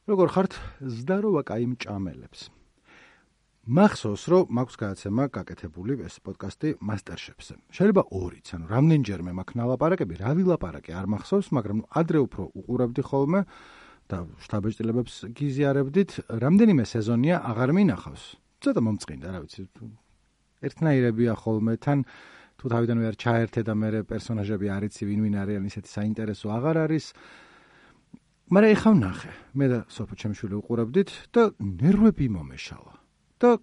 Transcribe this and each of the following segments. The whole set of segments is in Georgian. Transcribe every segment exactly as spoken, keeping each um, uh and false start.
როგორ ხართ, ზდა რო ვაკაიმ ჭამელებს. მახსოვს, რომ მაქვს გადაცემა გაკეთებული ეს პოდკასტი MasterChef-ზე. შეიძლება ორიც, ანუ რამდენჯერმე მაქვს ნალაპარაკები, რა ვილაპარაკე არ მახსოვს, მაგრამ ადრე უფრო უყურებდი ხოლმე და შთაბეჭდილებებს გიზიარებდით, რამდენიმე სეზონია აღარ მინახავს. ცოტა მომწყინდა, რა ვიცი. ერთნაირებია ხოლმე, თან თუ თავიდანვე არ ჩაერთე და მე პერსონაჟები არ იცი ვინ ვინ არიან, ისეთი საინტერესო აღარ არის. მაგრამ ეხა ვნახე, მე და სოფო ჩემშვილი უყურებდით და ნერვები მომეშალა. და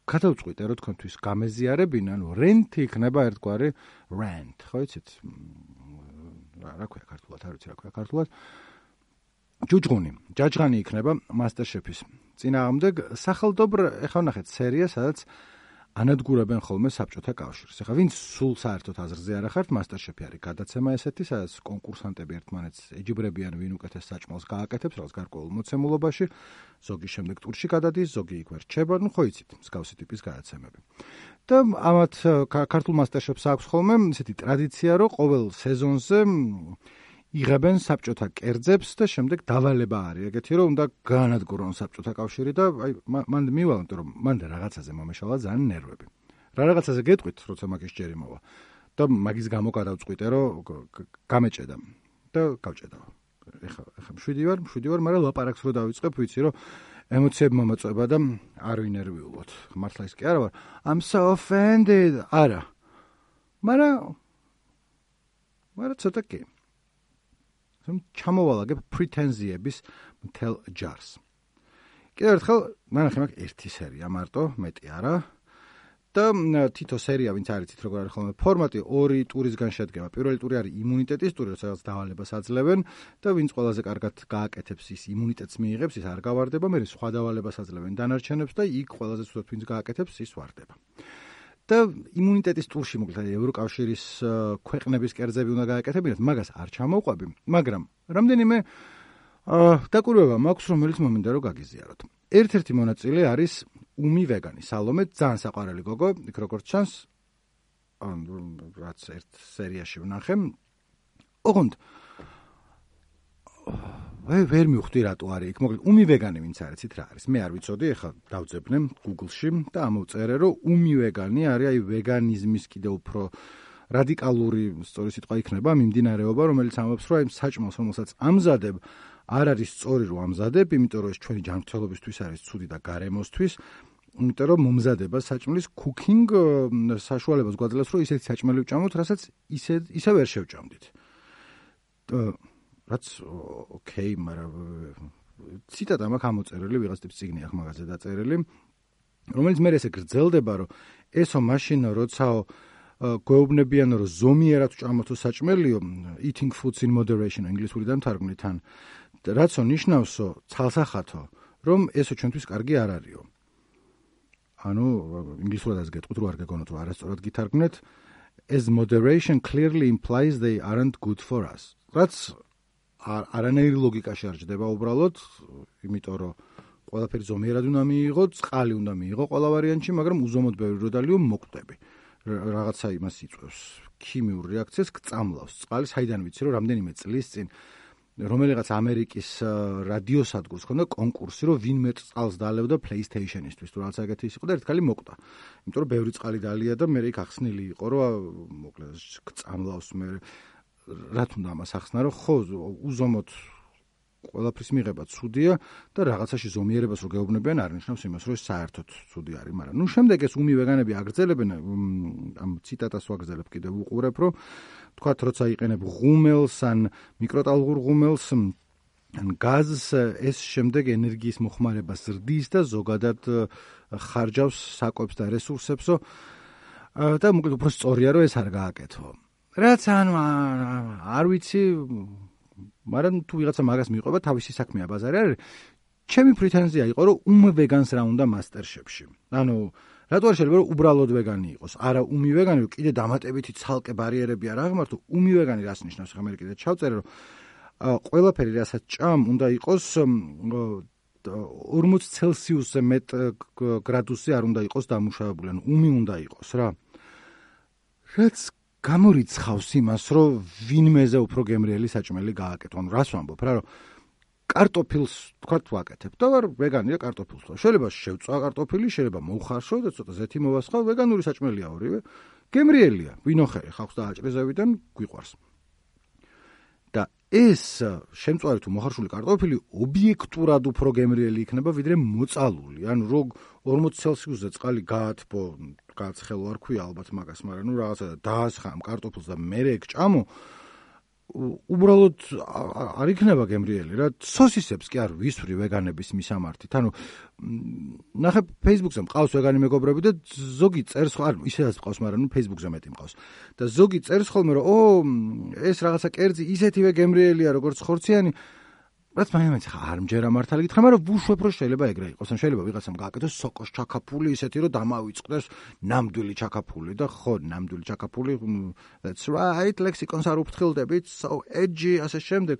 გადავწყვიტე, რომ თქვენთვის გამეზიარებინა, ანუ რენტი იქნება ერთგვარი rant, ხო იცით? რა ქვია ქართულად, არ ვიცი რა ქვია ქართულად. ჯუჯღუნი, ჯაჯღანი იქნება MasterChef-ის წინააღმდეგ სახელდობრ, ეხლა ვნახეთ სერია, სადაც ანადგურებენ ხოლმე საბჭოთა კავშირს. ეხლა ვინც სულ საერთოდ აზრზე არ ახართ, MasterChef-ი არის გადაცემა ესეთი, სადაც კონკურსანტები ერთმანეთს ეჯიბრებიან, ვინ უკეთეს საჭმელს გააკეთებს, რაღაც გარკვეულ მოცემულობაში, ზოგი შემდეგ ტურში გადადის, ზოგი იქ ვერ რჩება, ну ხო იცით, მსგავსი ტიპის გადაცემები. და ამათ ქართულ MasterChef-ს აქვს ხოლმე ესეთი ტრადიცია, რომ ყოველ სეზონზე იღებენ საბჭოთა კერძებს და შემდეგ დავალება არის ეგეთი, რომ უნდა გაანადგურონ საბჭოთა კავშირი და აი მან მივალ, იმიტომ რომ მან რაღაცაზე მომეშალა ძალიან ნერვები. რა რაღაცაზე გეტყვით, როცა მაგის ჯერი მოვა. და მაგის გამო გადავწყვიტე, რომ გამეჭედა და გავჭედა. ეხა ეხა მშვიდი ვარ, მშვიდი ვარ, მაგრამ ლაპარაკს რო დავიწყებ, ვიცი რომ ემოციები მომაწვება და არ ვინერვიულოთ. მართლა ის კი არა ვარ. I'm so offended. არა. მაგრამ მაგრამ ცოტა კი. ჩამოვალაგებ პრეტენზიების მთელ ჯარს. კიდევ ერთხელ ნახე მაგ ერთი სერია მარტო, მეტი არა. და თითო სერია, ვინც არ იცით როგორ არის ხოლმე ფორმატი, ორი ტურისგან შედგება. პირველი ტური არის იმუნიტეტის ტური, სადაც დავალებას აძლევენ და ვინც ყველაზე კარგად გააკეთებს, ის იმუნიტეტს მიიღებს, ის არ გავარდება, მე სხვა დავალებას აძლევენ დანარჩენებს და იქ ყველაზე ცუდად ვინც გააკეთებს, ის ვარდება. და იმუნიტეტის ტურში მოკლედ ევროკავშირის ქვეყნების კერძები უნდა გააკეთებინათ, მაგას არ ჩამოვყვები, მაგრამ რამდენიმე დაკვირვება მაქვს, რომელიც მომინდა რომ გაგიზიაროთ. ერთ-ერთი მონაწილე არის უმი ვეგანი, სალომე, ძალიან საყვარელი გოგო, იქ როგორც ჩანს, რაც ერთ სერიაში ვნახე. ოღონდ ვე ვერ მივხვდი რატო არის იქ. მოკლედ უმი ვეგანი ვინც არიცით რა არის. მე არ ვიცოდი, ეხლა დავძებნე Google-ში და ამოვწერე, რომ უმი ვეგანი არის აი ვეგანიზმის კიდევ უფრო რადიკალური, სწორი სიტყვა იქნება, მიმდინარეობა, რომელიც ამბობს, რომ აი საჭმელს, რომელსაც ამზადებ, არ არის სწორი რომ ამზადებ, იმიტომ რომ ეს ჩვენი ჯანმრთელობისთვის არის ცუდი და გარემოსთვის, იმიტომ რომ მომზადება საჭმლის cooking საშუალებას გვაძლევს, რომ ისეთი საჭმელი ვჭამოთ, რასაც ისე ისე ვერ შევჭამდით. რაც ოკეი, მაგრამ ციტატა მაქვს ამოწერილი, ვიღაც ტიპის წიგნი აქვს მაგაზე დაწერილი, რომელიც მე ესე გრძელდება, რომ ესო მაშინ როცაო გვეუბნებიან, რომ ზომიერად ვჭამოთო საჭმელიო, eating foods in moderation, ინგლისურიდან თარგმნით ან რაცო ნიშნავსო, ცალსახათო, რომ ესო ჩვენთვის კარგი არ არისო. ანუ ინგლისურადაც გეტყვით, რომ არ გეგონოთ, რომ არასწორად გითარგმნეთ, as moderation clearly implies they aren't good for us. რაც არანაირი ლოგიკა შეარჩდება უბრალოდ, იმიტომ რომ ყველაფერი ზომიერად უნდა მიიღო, წყალი უნდა მიიღო ყველა ვარიანტში, მაგრამ უზომოდ ბევრი რო დალიო მოკვდები. რაღაცა იმას იწვევს, ქიმიურ რეაქციას გწამლავს. წყალი საიდან ვიცი, რომ რამდენიმე წლის წინ რომელიღაც ამერიკის რადიოსადგურს ხონდა კონკურსი, რომ ვინ მეტ წყალს დალევდა PlayStation-ისთვის, თუ რაღაც ეგეთი ის იყო და ერთ ქალი მოკვდა. იმიტომ რომ ბევრი წყალი დალია და მე იქ ახსნილი იყო, რომ მოკლედ გწამლავს მე რა თუნდა ამას ახსნა, რომ ხო უზომოდ ყველაფრის მიღება ცუდია და რაღაცაში ზომიერებას რო გეუბნებიან არ ნიშნავს იმას, რომ ეს საერთოდ ცუდი არის, მაგრამ ნუ შემდეგ ეს უმი ვეგანები აგრძელებენ, ამ ციტატას ვაგრძელებ კიდევ უყურებ, რომ თქვათ როცა იყენებ ღუმელს ან მიკროტალღურ ღუმელს ან გაზს, ეს შემდეგ ენერგიის მოხმარებას ზრდის და ზოგადად ხარჯავს საკვებს და რესურსებსო და მოკლედ უფრო სწორია რომ ეს არ გააკეთო. რაც ანუ არ ვიცი, მაგრამ თუ ვიღაცა მაგას მიყვება, თავისი საქმეა ბაზარი არის. ჩემი პრეტენზია იყო, რომ უმ ვეგანს რა უნდა MasterChef-ში. ანუ რატო არ შეიძლება რომ უბრალოდ ვეგანი იყოს? არა უმი ვეგანი, რომ კიდე დამატებითი ცალკე ბარიერები არ აღმართო. უმი ვეგანი რას ნიშნავს? ხა მე კიდე ჩავწერე, რომ ყველაფერი რასაც ჭამ უნდა იყოს ორმოც ცელსიუსზე მეტ გრადუსზე არ უნდა იყოს დამუშავებული, ანუ უმი უნდა იყოს რა. რაც გამორიცხავს იმას, რომ ვინმეზე უფრო გემრიელი საჭმელი გააკეთო. ანუ რას ვამბობ რა, რომ კარტოფილს თქვათ ვაკეთებ და ვარ ვეგანი და კარტოფილს ვარ. შეიძლება შევწვა კარტოფილი, შეიძლება მოვხარშო და ცოტა ზეთი მოვასხავ, ვეგანური საჭმელია ორივე. გემრიელია, ვინოხერე ხალხს და აჭრიზევიდან გვიყვარს. და ეს შემწვარი თუ მოხარშული კარტოფილი ობიექტურად უფრო გემრიელი იქნება ვიდრე მოწალული. ანუ რო ორმოცი ცელსიუსზე წყალი გაათბო, გააცხელო არ ქვია ალბათ მაგას, მაგრამ ნუ რაღაცა დაასხამ კარტოფილს და მერე ეგ ჭამო, უბრალოდ არ იქნება გემრიელი რა. სოსისებს კი არ ვისვრი ვეგანების მისამართით. ანუ ნახე Facebook-ზე მყავს ვეგანი მეგობრები და ზოგი წერს, არ ისედაც მყავს, მაგრამ ნუ Facebook-ზე მეტი მყავს. და ზოგი წერს ხოლმე რომ ო ეს რაღაცა კერძი ისეთივე გემრიელია როგორც ხორციანი. რაც მაინც ხა არ მჯერა მართალი გითხრა, მაგრამ ვუშვებ რომ შეიძლება ეგრე იყოს. ან შეიძლება ვიღაცამ გააკეთოს სოკოს ჩაკაფული ისეთი რომ დამავიწყდეს ნამდვილი ჩაკაფული და ხო ნამდვილი ჩაკაფული that's right ლექსიკონს არ უფრთხილდებით so edgy ასე შემდეგ.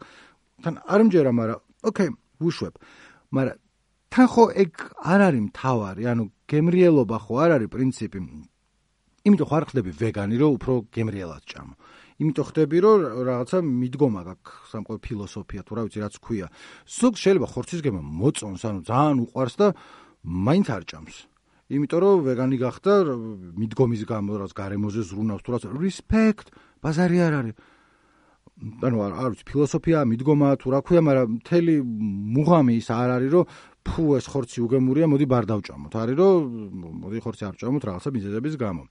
თან არ მჯერა, მაგრამ okay ვუშვებ. მაგრამ თან ხო ეგ არ არის მთავარი, ანუ გემრიელობა ხო არ არის პრინციპი. იმიტომ ხო არ ხდები ვეგანი რომ უფრო გემრიელად ჭამო. იმიტომ ხდები რომ რაღაცა მიდგომა გაქვს სამყარო ფილოსოფია თუ რა ვიცი რაც ქვია. ზოგს შეიძლება ხორცის გემა მოწონს, ანუ ძალიან უყვარს და მაინც არ ჭამს. იმიტომ რომ ვეგანი გახდა მიდგომის გამო რაც გარემოზე ზრუნავს თუ რაც respect ბაზარი არ არის. ანუ არ ვიცი ფილოსოფია, მიდგომა თუ რა ქვია, მაგრამ მთელი მუღამი ის არ არის რომ ფუ ეს ხორცი უგემურია, მოდი ბარ დავჭამოთ. არის რომ მოდი ხორცი არ ჭამოთ რაღაცა მიზეზების გამო.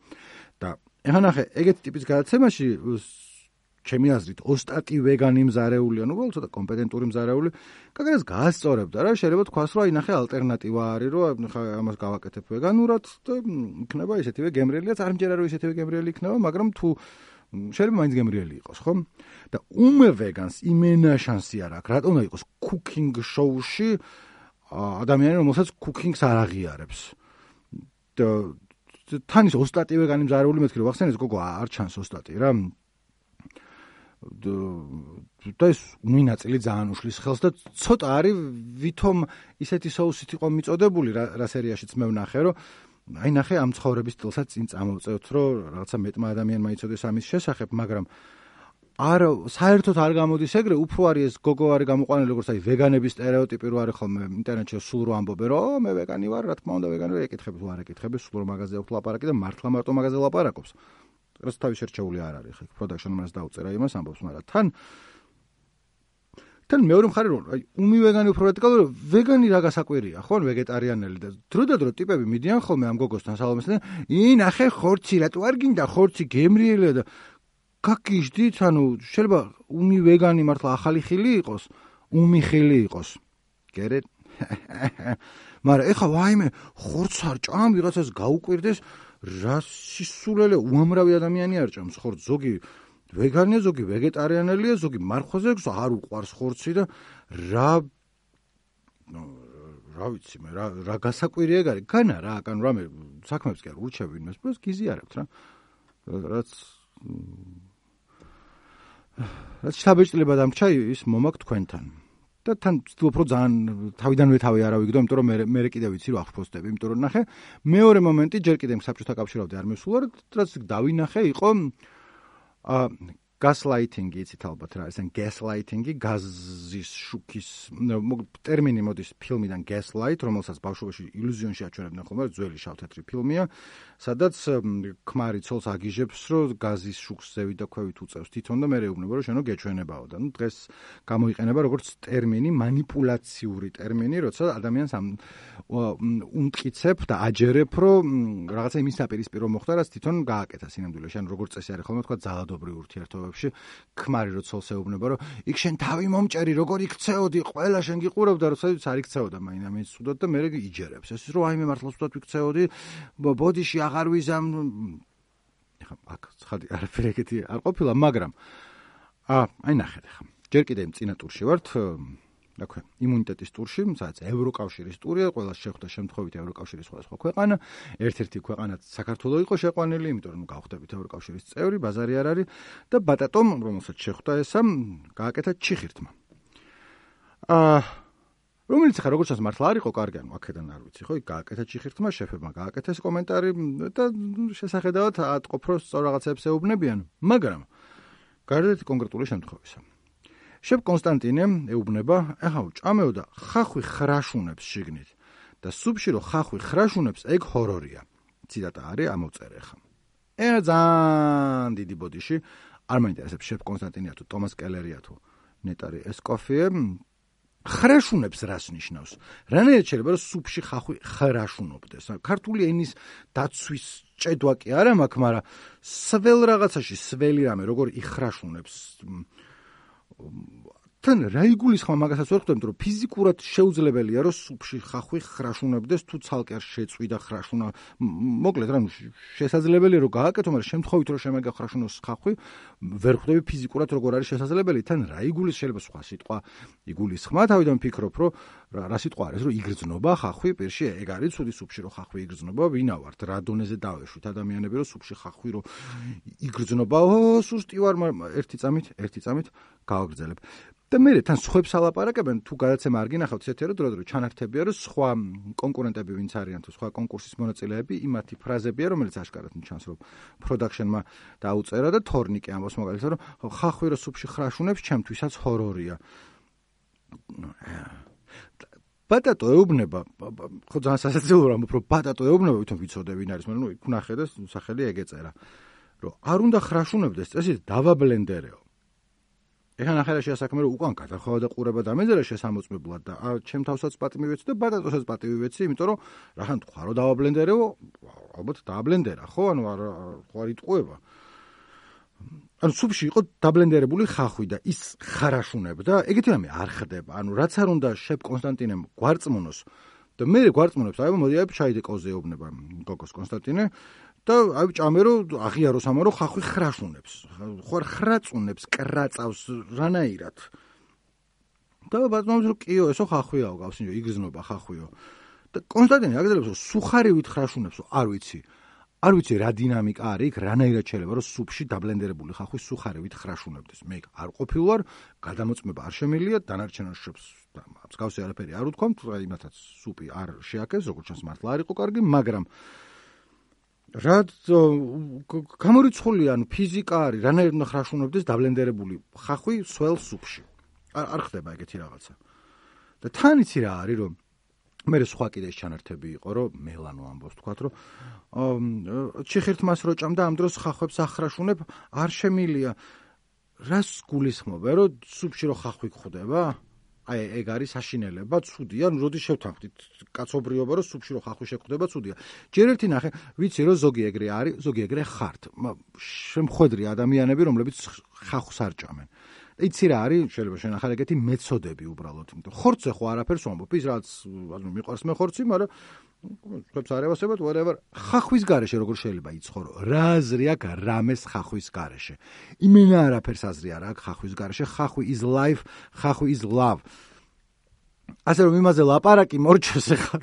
და ეხლა ნახე, ეგეთი ტიპის გადაცემაში ჩემი აზრით ოსტატი ვეგანი მზარეული, ანუ უბრალოდ ცოტა კომპეტენტური მზარეული, კაკას გაასწორებდა რა, შეიძლება თქვას რომ აი ნახე ალტერნატივა არის, რომ ხა ამას გავაკეთებ ვეგანურად და იქნება ისეთივე გემრიელიაც, არ მჯერა რომ ისეთივე გემრიელი იქნება, მაგრამ თუ შეიძლება მაინც გემრიელი იყოს, ხო? და უმე ვეგანს იმენა შანსი არ აქვს, რატომ უნდა იყოს cooking show-ში ადამიანი, რომელსაც cooking-ს არ აღიარებს. და თან ის ოსტატი ვეგანი მზარეული მეთქი რომ ახსენეს გოგო არ ჩანს ოსტატი რა. და ეს მინაწილი ძალიან უშლის ხელს და ცოტა არის ვითომ ისეთი соусით იყო მიწოდებული რა სერიაშიც მე ვნახე რომ აი ნახე ამ ცხოვრების სტილსაც წინ წამოვწევთ რომ რაღაცა მეტმა ადამიანმა იცოდეს ამის შესახებ, მაგრამ არ საერთოდ არ გამოდის ეგრე, უფრო არის ეს გოგო არის გამოყვანილი როგორც აი ვეგანების სტერეოტიპი რო არის ხოლმე ინტერნეტში სულ რო ამბობენ რომ მე ვეგანი ვარ, რა თქმა უნდა ვეგანი ვარ, ეკითხები თუ არ ეკითხები, სულ რო მაღაზია აქვს ლაპარაკი და მართლა მარტო მაღაზია ლაპარაკობს. რაც თავის შერჩეული არ არის, ხა პროდაქშენ მას დაუწერა იმას ამბობს, მაგრამ თან თან მეორე მხარე რომ აი უმი ვეგანი უფრო რადიკალური, ვეგანი რა გასაკვირია, ხო, ვეგეტარიანელი და დროდადრო ტიპები მიდიან ხოლმე ამ გოგოსთან სალომესთან, ი ნახე ხორცი, რატო არ გინდა ხორცი გემრიელია და გაგიჟდით, ანუ შეიძლება უმი ვეგანი მართლა ახალი ხილი იყოს, უმი ხილი იყოს. გერეთ? მაგრამ ეხა ვაიმე ხორცს არ ჭამ, ვიღაცას გაუკვირდეს, რა სისულელე უამრავი ადამიანი არ ჭამს ხორცს, ზოგი ვეგანია, ზოგი ვეგეტარიანელია, ზოგი მარხვაზე არ უყვარს ხორცი და რა რა ვიცი მე, რა რა გასაკვირია ეგ არის. განა რა, ანუ რამე საქმეებს კი არ ურჩევ ვინმეს, просто გიზიარებთ რა. რაც რაც შთაბეჭდილება დამრჩა ის მომაქვს თქვენთან. და თან ვცდილობ რომ ძალიან თავიდანვე თავი არა ვიგდო, იმიტომ რომ მე მე კიდე ვიცი რომ ახფოსდები, იმიტომ რომ ნახე მეორე მომენტი ჯერ კიდევ საბჭოთა კავშირამდე არ მისულა, რაც დავინახე იყო აა gaslighting-ი, იცით ალბათ რა, ესენ gaslighting-ი, გაზის შუქის ტერმინი მოდის ფილმიდან Gaslight, რომელსაც ბავშვობაში ილუზიონში აჩვენებდნენ ხოლმე, ძველი შავ-თეთრი ფილმია, სადაც ქმარი ცოლს აგიჟებს, რომ გაზის შუქს ზევით და ქვევით უწევს თვითონ და მერე ეუბნება, რომ შენო გეჩვენებაო და ნუ დღეს გამოიყენება როგორც ტერმინი, манипуляციური ტერმინი, როცა ადამიანს უმტკიცებ და აჯერებ, რომ რაღაცა იმის საპირისპირო მოხდა, რაც თვითონ გააკეთა სინამდვილეში, ანუ როგორც წესი არის ხოლმე თქვა ძალადობრივ ურთიერთობებში, ქმარი რო ცოლს ეუბნება, რომ იქ შენ თავი მომჭერი, როგორ იქცეოდი, ყველა შენ გიყურებდა, როდესაც არ იქცეოდა მაინა მე სუდოდ და მე იჯერებს. ეს რომ აი მე მართლა სუდოდ ვიქცეოდი, ბოდიში აღარ ვიზამ. ეხა აქ ცხადი არაფერი ეგეთი არ ყოფილა, მაგრამ აა აი ნახეთ ეხა. ჯერ კიდევ წინა ტურში ვართ. აქვე იმუნიტეტის ტურში, სადაც ევროკავშირის ტურია, ყველას შეხვდა შემთხვევით ევროკავშირის სხვადასხვა ქვეყანა, ერთ-ერთი ქვეყანაც საქართველო იყო შეყვანილი, იმიტომ რომ გავხდებით ევროკავშირის წევრი, ბაზარი არ არის და ბატატომ, რომელსაც შეხვდა ესა, გააკეთა ჩიხირთმა. აა რომელიც ხა როგორც ჩანს მართლა არ იყო კარგი, ანუ აქედან არ ვიცი, ხო, გააკეთა ჩიხირთმა, შეფებმა გააკეთა ეს კომენტარი და შესახედავად ატყობ, რომ სწორ რაღაცებს ეუბნებიან, მაგრამ გარდა კონკრეტული შემთხვევისა შებ კონსტანტინე ეუბნება, ახლა ჭამეო და ხახვი ხრაშუნებს შიგნით და სუპში რო ხახვი ხრაშუნებს, ეგ ჰორორია. ციტატა არის ამოვწერე ხა. ე ძალიან დიდი ბოდიში, არ მაინტერესებს შებ კონსტანტინია თუ ტომას კელერია თუ ნეტარი ესკოფიე, ხრაშუნებს რას ნიშნავს? რანაირად შეიძლება რომ სუპში ხახვი ხრაშუნობდეს? ქართული ენის დაცვის ჭედვა კი არა მაქვს, მაგრამ სველ რაღაცაში სველი რამე როგორ იხრაშუნებს? თან რა იგულისხმება მაგასაც ვერ ხვდებით, რომ ფიზიკურად შეუძლებელია რომ სუპში ხახვი ხრაშუნებდეს თუ ცალკე არ შეწვიდა ხრაშუნა. მოკლედ რა, შესაძლებელია რომ გააკეთო, მაგრამ შემთხვევით რომ შემეგა ხრაშუნოს ხახვი, ვერ ხვდები ფიზიკურად როგორ არის შესაძლებელი. თან რა იგულის შეიძლება სხვა სიტყვა იგულისხმა, თავიდან ფიქრობ, რომ რა სიტყვა არის, რომ იგრძნობა ხახვი, პირში ეგ არის ცუდი სუპში რომ ხახვი იგრძნობა, ვინა ვართ, რა დონეზე დავეშვით ადამიანები რომ სუპში ხახვი რომ იგრძნობა, ო სუსტი ვარ, ერთი წამით, ერთი წამით გავაგრძელებ. და მე თან სხვებს ალაპარაკებენ, თუ გადაცემა არ გინახავთ ისეთი რომ დრო-დრო ჩანართებია, რომ სხვა კონკურენტები ვინც არიან თუ სხვა კონკურსის მონაწილეები იმათი ფრაზებია, რომელიც აშკარად ჩანს, რომ პროდაქშენმა დაუწერა და თორნიკე ამბობს მაგალითად, რომ ხახვი რო სუპში ხრაშუნებს, ჩემთვისაც ჰორორია. ბატატო ეუბნება, ხო ძალიან სასაცილოა, რომ ბატატო ეუბნება, ვითომ ვიცოდე ვინ არის, მაგრამ ნუ იქ ნახე და სახელი ეგ ეწერა, რომ არ უნდა ხრაშუნებდეს, წესით დავაბლენდერეო. ეხლა ნახე რა შეასაქმე რომ უკან გადახოვა და ყურება დამეძერა შესამოწმებლად და ჩემ თავსაც პატი მივეცი და ბატატოსაც პატი მივეცი, იმიტომ რომ რახან თქვა რომ დავაბლენდერეო, ალბათ დააბლენდერა, ხო, ანუ არ ხო არ იტყუება. ანუ სუპში იყო დაბლენდერებული ხახვი და ის ხარაშუნებდა, ეგეთი რამე არ ხდება. ანუ რაც არ უნდა შებ კონსტანტინემ გვარწმუნოს და მე გვარწმუნებს, აი მოდი აი ჩაიდე კოზე ეუბნება გოგოს კონსტანტინე და აი ჭამე რომ აღიაროს ამა რომ ხახვი ხრაშუნებს. ხო არ ხრაწუნებს, კრაწავს რანაირად. და ბატონს რომ კიო, ესო ხახვიაო გავსინჯო, იგრძნობა ხახვიო. და კონსტანტინე აგრძელებს რომ სუხარივით ხრაშუნებს, არ ვიცი. არ ვიცი რა დინამიკა არის, რანაირად შეიძლება რომ სუპში დაბლენდერებული ხახვი სუხარივით ხრაშუნებდეს. მე არ ყოფილვარ, გადამოწმება არ შემილია, დანარჩენ შობს მსგავსი არაფერი არ უთქვამთ, იმათაც სუპი არ შეაქეს, როგორც ჩანს მართლა არ იყო კარგი, მაგრამ რა გამორიცხული, ანუ ფიზიკა არის, რანაირად უნდა ხრაშუნებდეს დაბლენდერებული ხახვი სველ სუპში. არ არ ხდება ეგეთი რაღაცა. და თან იცი რა არის, რომ მე სხვა კიდე ჩანართები იყო, რომ მელანო ამბობს თქვათ, რომ ჩიხირთმას რო ჭამ და ამ დროს ხახვებს ახრაშუნებ, არ შემილია. რას გულისხმობა, რომ სუპში რო ხახვი გხვდება? აი ეგ არის საშინელება, ცუდია, ნუ როდის შევთანხმდით კაცობრიობა, რომ სუპში რო ხახვი შეგხვდება, ცუდია. ჯერ ერთი ნახე, ვიცი რომ ზოგი ეგრე არის, ზოგი ეგრე ხართ. შემხვედრი ადამიანები, რომლებიც ხახვს არ ჭამენ. იცი რა არის, შეიძლება შენახარ ეგეთი მეთოდები უბრალოდ, იმიტომ ხორცზე ხო არაფერს ვამბობ, ის რაც ანუ მიყვარს მე ხორცი, მაგრამ ხებს არ ევასებათ, whatever. ხახვის გარეშე როგორ შეიძლება იცხოვრო? რა აზრი აქვს რამეს ხახვის გარეშე? იმენა არაფერს აზრი არ აქვს ხახვის გარეშე. ხახვი is life, ხახვი is love. ასე რომ იმაზე ლაპარაკი მორჩეს ახლა.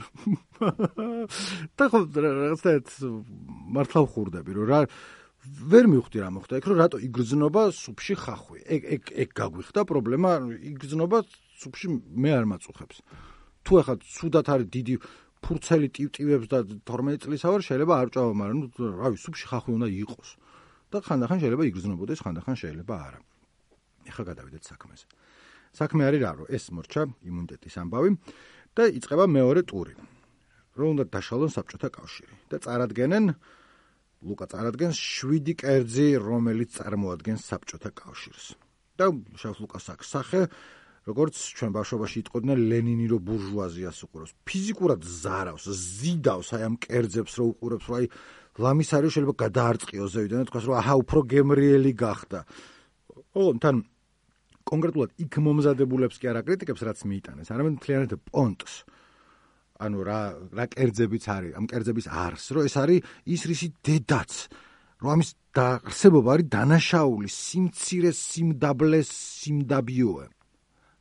და ხო რაღაცეთ მართლა ვხურდები, რომ რა ვერ მივხვდი რა მოხდა იქ, რომ რატო იგრძნობა სუპში ხახვი. ეგ ეგ ეგ გაგვიხდა პრობლემა, იგრძნობა სუპში მე არ მაწუხებს. თუ ახლა ცუდად არის დიდი ფურცელი ტივტივებს და თორმეტი წლისა ვარ, შეიძლება არ ჭამა, მაგრამ ნუ რავი, სუპში ხახვი უნდა იყოს. და ხანდახან შეიძლება იგრძნობოდეს, ხანდახან შეიძლება არა. ეხლა გადავიდეთ საქმეზე. საქმე არის რა, რომ ეს მორჩა იმუნიტეტის ამბავი და იწყება მეორე ტური. რომ უნდა დაშალონ საბჭოთა კავშირი და წარადგენენ ლუკა წარადგენს შვიდი კერძი, რომელიც წარმოადგენს საბჭოთა კავშირს. და შევს ლუკას აქვს სახე, როგორც ჩვენ ბავშვობაში იტყოდნენ ლენინი რო ბურჟუაზიას უყურებს. ფიზიკურად ზარავს, ზიდავს აი ამ კერძებს რო უყურებს, რომ აი ლამის არის შეიძლება გადაარწყიოს ზევიდან და თქვას რომ აჰა უფრო გემრიელი გახდა. ო, თან კონკრეტულად იქ მომზადებულებს კი არ აკრიტიკებს, რაც მიიტანეს, არამედ მთლიანად პონტს. ანუ რა რა კერძებიც არის, ამ კერძების არს, რომ ეს არის ის რისი დედაც, რომ ამის დაარსებობა არის დანაშაული, სიმცირე, სიმდაბლე, სიმდაბიოე.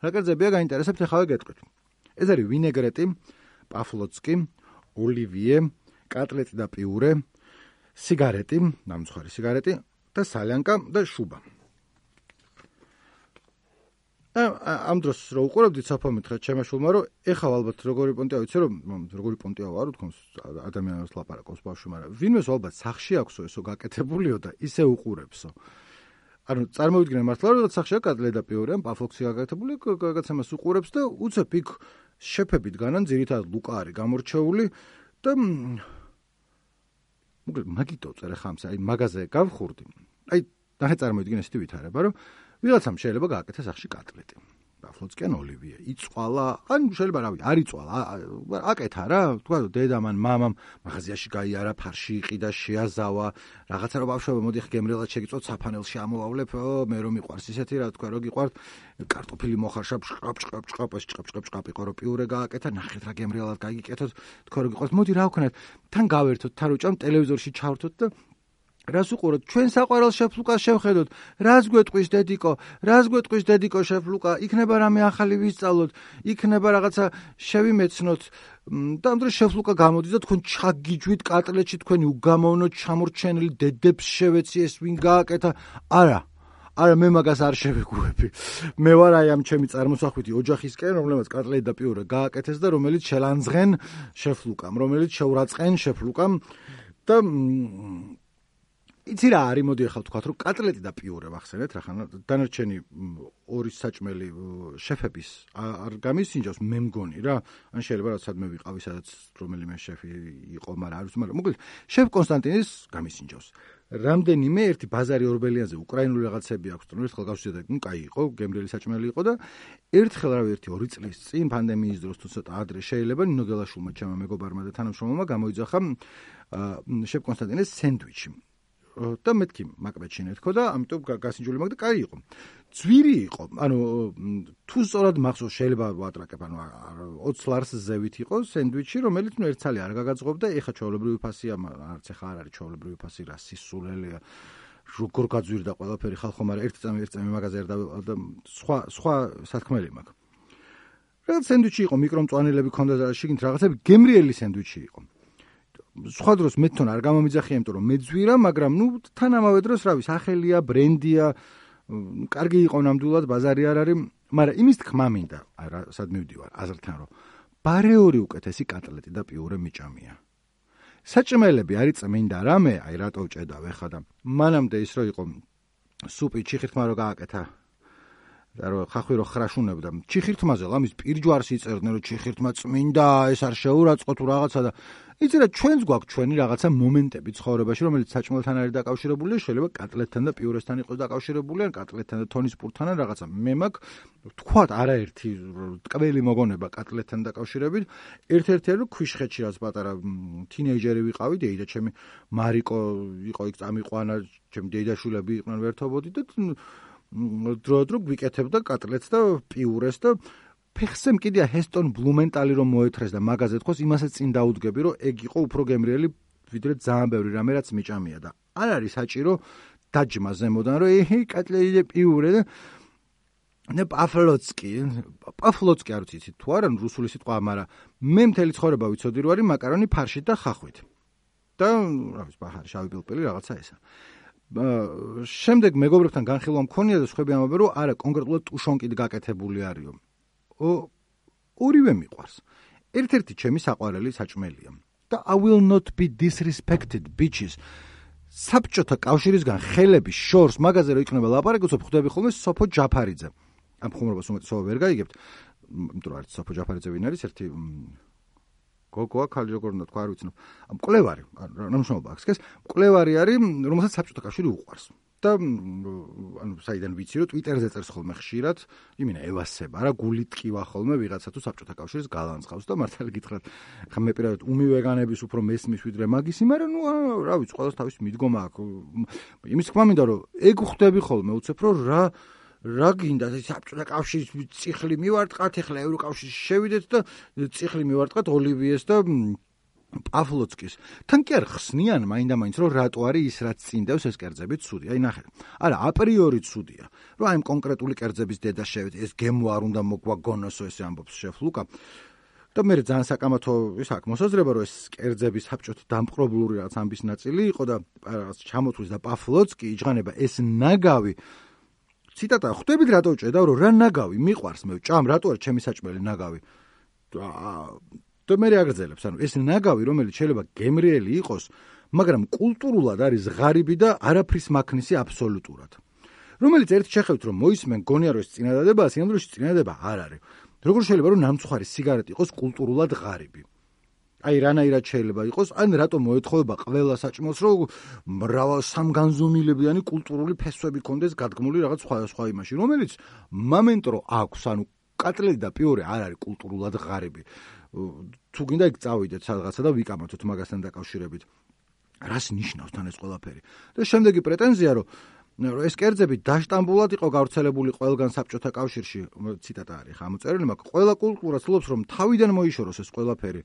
რა კერძებია გაინტერესებთ, ახლა გეტყვით. ეს არის ვინეგრეტი, პაფლოცკი, ოლივიე, კატლეტი და პიურე, სიგარეტი, ნამცხვარი სიგარეტი და სალიანკა და შუბა. ამ დროს რო უყურებდით საფორმეთხრა ჩემაშულმა, რომ ეხლა ალბათ როგორი პონტია ვიცი, რომ როგორი პონტია ვარ, თქოს ადამიანებს ლაპარაკობს ბავშვი, მაგრამ ვინმეს ალბათ სახში აქვსო ესო გაკეთებულიო და ისე უყურებსო. ანუ წარმოვიდგინე მართლა რომ სახშია კატლეტ და პიურე ან პაფლოქსი გაკეთებული რაღაცა მას უყურებს და უცებ იქ შეფები დგანან ძირითადად ლუკა არის გამორჩეული და მოკლედ მაგიტო წერე ხამს აი მაღაზია გავხურდი აი ნახე წარმოვიდგინე ესეთი ვითარება რომ ვიღაცამ შეიძლება გააკეთეს სახში კატლეტი პაფლოცკენ ოლივიე იწვალა ან შეიძლება რავი არ იწვალა აკეთა რა თქვა დედამ ან მამამ მაღაზიაში გაიარა ფარში იყიდა შეაზავა რაღაცა რომ ბავშვობა მოდი ხ გემრიელად შეგიწვოთ საფანელში ამოვავლებ მე რომ მიყვარს ისეთი რა თქვა რომ გიყვართ კარტოფილი მოხარშა ჭყაპ ჭყაპ ჭყაპ ეს ჭყაპ ჭყაპ ჭყაპ იყო რომ პიურე გააკეთა ნახეთ რა გემრიელად გაიგიკეთოთ თქვა რომ გიყვართ მოდი რა ვქნათ თან გავერთოთ თან უჭამ ტელევიზორში ჩავრთოთ და რას უყუროთ ჩვენ საყვარელ შეფ ლუკას შევხედოთ რას გვეტყვის დედიკო რას გვეტყვის დედიკო შეფ ლუკა იქნება რამე ახალი ვისწავლოთ იქნება რაღაცა შევიმეცნოთ და ამ დროს შეფ ლუკა გამოდის და თქვენ ჩაგიჯვით კატლეტში თქვენი უგამოვნო ჩამორჩენილი დედებს შევეცი ეს ვინ გააკეთა არა არა მე მაგას არ შევეგუები მე ვარ აი ამ ჩემი წარმოსახვითი ოჯახისკენ რომელმაც კატლეტ და პიურე გააკეთეს და რომელიც შელანძღენ შეფ ლუკამ რომელიც შეურაცხენ შეფ ლუკამ და იცი რა არის მოდი ახლა ვთქვათ რომ კატლეტი და პიურე ვახსენეთ რახან დანარჩენი ორი საჭმელი შეფების არ გამისინჯავს მე მგონი რა ან შეიძლება რაც სადმე ვიყავი სადაც რომელიმე შეფი იყო მაგრამ არ ვიცი მაგრამ მოკლედ შეფ კონსტანტინის გამისინჯავს რამდენიმე ერთი ბაზარი ორბელიანზე უკრაინული რაღაცები აქვს თქო ერთხელ გავშედა ნუ კაი იყო გემრიელი საჭმელი იყო და ერთხელ რავი ერთი ორი წლის წინ პანდემიის დროს თუ ცოტა ადრე შეიძლება ნინო გელაშვილმა ჩემმა მეგობარმა და თანამშრომელმა გამოიძახა შეფ კონსტანტინის სენდვიჩი და მეთქი მაკბეჩინე თქო და ამიტომ გასინჯული მაგ და კაი იყო. ძვირი იყო. ანუ თუ სწორად მახსოვს შეიძლება ვატრაკებ, ანუ ოცი ლარს ზევით იყო სენდვიჩი, რომელიც ნუ ერთცალი არ გაგაძღობდა, ეხა ჩვეულებრივი ფასია, არც ეხა არ არის ჩვეულებრივი ფასი, რა სისულელია. როგორ გაძვირდა ყველაფერი ხალხო, მაგრამ ერთი წამი ერთი წამი მაღაზია და სხვა სხვა სათქმელი მაქვს. რაღაც სენდვიჩი იყო, მიკრომწვანილები ქონდა და შიგნით რაღაცები, გემრიელი სენდვიჩი იყო. სხვა დროს მე თვითონ არ გამომიძახია, იმიტომ რომ მეძვირა, მაგრამ ნუ თან ამავე დროს რავი, სახელია, ბრენდია, კარგი იყო ნამდვილად, ბაზარი არ არის, მაგრამ იმის თქმა მინდა, არა, სად მივდივარ, აზრთან რომ ბარეორი უკეთესი კატლეტი და პიურე მიჭამია. საჭმელები არის წმინდა რამე, აი რატო ვჭედავ ეხა და მანამდე ის რო იყო სუპი ჩიხირთმა რო გააკეთა და რო ხახვი რო ხრაშუნებდა ჩიხირთმაზე ლამის პირჯვარს იწერდნენ რომ ჩიხირთმა წმინდა ეს არ შეურაცხო თუ რაღაცა და იცი რა ჩვენს გვაქვს ჩვენი რაღაცა მომენტები ცხოვრებაში რომელიც საჭმელთან არის დაკავშირებული შეიძლება კატლეტთან და პიურესთან იყოს დაკავშირებული ან კატლეტთან და თონის პურთან ან რაღაცა მე მაქვს თქვათ არაერთი ტკბილი მოგონება კატლეტთან დაკავშირებით ერთ-ერთი რომ ქვიშხეთში რაც პატარა თინეიჯერი ვიყავი დეიდა ჩემი მარიკო იყო იქ წამიყვანა ჩემი დეიდაშვილები იყვნენ ვერთობოდი და დრო-დრო გვიკეთებდა კატლეტს და პიურეს და ფეხსემ კიდია ჰესტონ ბლუმენტალი რომ მოეთრეს და მაღაზია თქოს იმასაც წინ დაუდგები რომ ეგ იყო უფრო გემრიელი ვიდრე ძალიან ბევრი რამე რაც მიჭამია და არ არის საჭირო დაჯმა ზემოდან რომ ეჰე კატლეტი და პიურე და და პაფლოცკი პაფლოცკი არ ვიცით თუ არა რუსული სიტყვა მაგრამ მე მთელი ცხოვრება ვიცოდი რომ არის მაკარონი ფარშით და ხახვით და რა ვიცი ბაჰარი შავი პილპილი რაღაცა ესა შემდეგ მეგობრებთან განხილვა მქონია და სხვები ამბობენ რომ არა კონკრეტულად ტუშონკით გაკეთებული არისო ორივე მიყვარს. ერთ-ერთი ჩემი საყვარელი საჭმელია. და I will not be disrespected bitches. საბჭოთა კავშირისგან ხელების შორს მაღაზია რო იქნება ლაპარაკი, უცებ ხვდები ხოლმე სოფო ჯაფარიძე. ამ ხუმრობას უმეტესობა ვერ გაიგებთ. იმიტომ რომ არის სოფო ჯაფარიძე ვინ არის ერთი გოგოა ხალი როგორ უნდა თქვა არ ვიცნობ. მკვლევარი, ნამშრომლობა აქვს ეს. მკვლევარი არის, რომელსაც საბჭოთა კავშირი უყვარს. და ანუ საიდან ვიცი რომ ტვიტერზე წერს ხოლმე ხშირად, იმინა ევასება რა გული ტკივა ხოლმე ვიღაცა თუ საბჭოთა კავშირის გალანძღავს და მართალი გითხრათ, ხა მე პირადად უმივეგანების უფრო მესმის ვიდრე მაგისი, მაგრამ ნუ რა ვიცი, ყველას თავის მიდგომა აქვს. იმის თქმა მინდა რომ ეგ ხვდები ხოლმე უცებ რომ რა რა გინდა საბჭოთა კავშირის წიხლი მივარტყათ, ეხლა ევროკავშირში შევიდეთ და წიხლი მივარტყათ ოლივიეს და პაფლოცკის. თან კი არ ხსნიან მაინდა-მაინც რომ რატო არის ის რაც წინდევს ეს კერძები ცუდი. აი ნახე. არა, აპრიორი ცუდია. რომ აი კონკრეტული კერძების დედა შევეთ, ეს გემო არ უნდა მოგვაგონოსო ესე ამბობს შეფ ლუკა. და მე ძალიან საკამათო ის აქვს მოსაზრება რომ ეს კერძები საბჭოთა დამპყრობლური რაღაც ამბის ნაწილი იყო და ჩამოთვლის და პაფლოცკი იჭღანება ეს ნაგავი ციტატა ხვდებით რატო ვჭედავ რომ რა ნაგავი მიყვარს მე ჭამ რატო არის ჩემი საჭმელი ნაგავი და მე აგრძელებს ანუ ეს ნაგავი რომელიც შეიძლება გემრიელი იყოს მაგრამ კულტურულად არის ღარიბი და არაფრის მაქნისი აბსოლუტურად რომელიც ერთ შეხედვით რომ მოისმენ გონია რომ ეს წინადადებაა, სინამდვილეში წინადადება არ არის. როგორ შეიძლება რომ ნამცხვარი სიგარეტი იყოს კულტურულად ღარიბი? აი რანაირად შეიძლება იყოს, ან რატომ მოეთხოვება ყველა საჭმელს რომ მრავალ სამგანზომილებიანი კულტურული ფესვები კონდეს გადგმული რაღაც სხვადასხვა იმაში, რომელიც მომენტ რო აქვს, ანუ კატლეტი და პიორე არ არის კულტურულად ღარიბი. თუ გინდა იქ წავიდეთ სადღაცა და ვიკამათოთ მაგასთან დაკავშირებით. რას ნიშნავს თან ეს ყველაფერი? და შემდეგი პრეტენზია რომ ეს კერძები დაშტამბულად იყო გავრცელებული ყველგან საბჭოთა კავშირში, ციტატა არის ხა ამოწერილი, მაგრამ ყველა კულტურა ცდილობს რომ თავიდან მოიშოროს ეს ყველაფერი.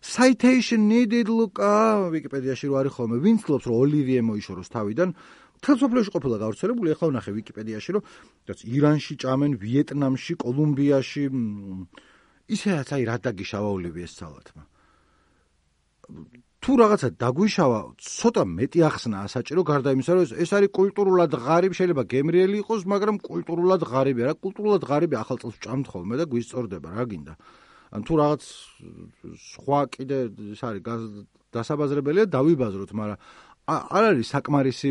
Citation needed ლუკა ვიკიპედიაში რო არის ხოლმე, ვინც ცდილობს რომ ოლივიე მოიშოროს თავიდან, მთელ სოფლიოში ყოფილა გავრცელებული, ახლა ვნახე ვიკიპედიაში რომ რაც ირანში ჭამენ, ვიეტნამში, კოლუმბიაში, ისედაც აი რა დაგიშავა ოლივიეს სალათმა. თუ რაღაცა დაგვიშავა, ცოტა მეტი ახსნა საჭირო გარდა იმისა, რომ ეს არის კულტურულად ღარიბი, შეიძლება გემრიელი იყოს, მაგრამ კულტურულად ღარიბი არა, კულტურულად ღარიბი ახალ წელს ვჭამთ ხოლმე და გვისწორდება, რა გინდა. ან თუ რაღაც სხვა კიდე ეს არის დასაბაზრებელია დავიბაზროთ, მაგრამ არ არის საკმარისი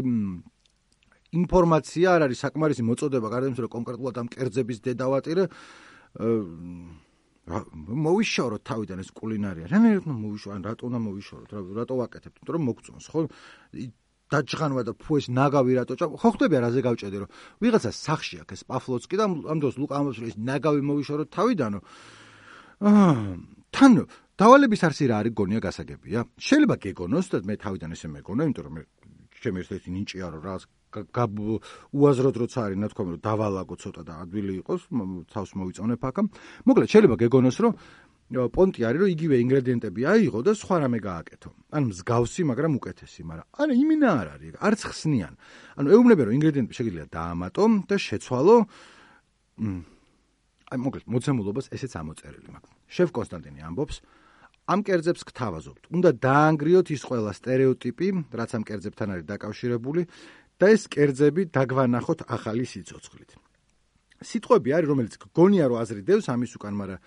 ინფორმაცია, არ არის საკმარისი მოწოდება გარდა იმისა, რომ კონკრეტულად ამ კერძების დედავატირე მოვიშოროთ თავიდან ეს კულინარია. რანაირად მოვიშოროთ, ან რატო უნდა მოვიშოროთ, რატო ვაკეთებთ, იმიტომ რომ მოგწონს, ხო? დაჯღანვა და ფუ ეს ნაგავი რატო ჭამ? ხო ხდება რაზე გავჭედე, რომ ვიღაცა სახში აქვს ეს პაფლოცკი და ამ დროს ლუკა ამბობს, რომ ეს ნაგავი მოვიშოროთ თავიდანო. თან დავალების არსი რა არის გონია გასაგებია. შეიძლება გეგონოს და მე თავიდან ესე მეგონა, იმიტომ რომ მე ჩემი ერთ-ერთი ნინჭია რომ რაღაც უაზროდ როცა არის ნათქვამი რომ დავალაგო ცოტა და ადვილი იყოს, თავს მოვიწონებ აქ. მოკლედ შეიძლება გეგონოს რომ პონტი არის რომ იგივე ინგრედიენტები აიღო და სხვა რამე გააკეთო. ან მსგავსი, მაგრამ უკეთესი, მაგრამ არა იმინა არ არის, არც ხსნიან. ანუ ეუბნება რომ ინგრედიენტები შეგიძლია დაამატო და შეცვალო. აი მოკლედ მოცემულობას ესეც ამოწერილი მაქვს. შევ კონსტანტინე ამბობს, ამ კერძებს გთავაზობთ. უნდა დაანგრიოთ ის ყველა სტერეოტიპი, რაც ამ კერძებთან არის დაკავშირებული და ეს კერძები დაგვანახოთ ახალი სიცოცხლით. სიტყვები არის, რომელიც გონია რომ აზრი დევს ამის უკან, მაგრამ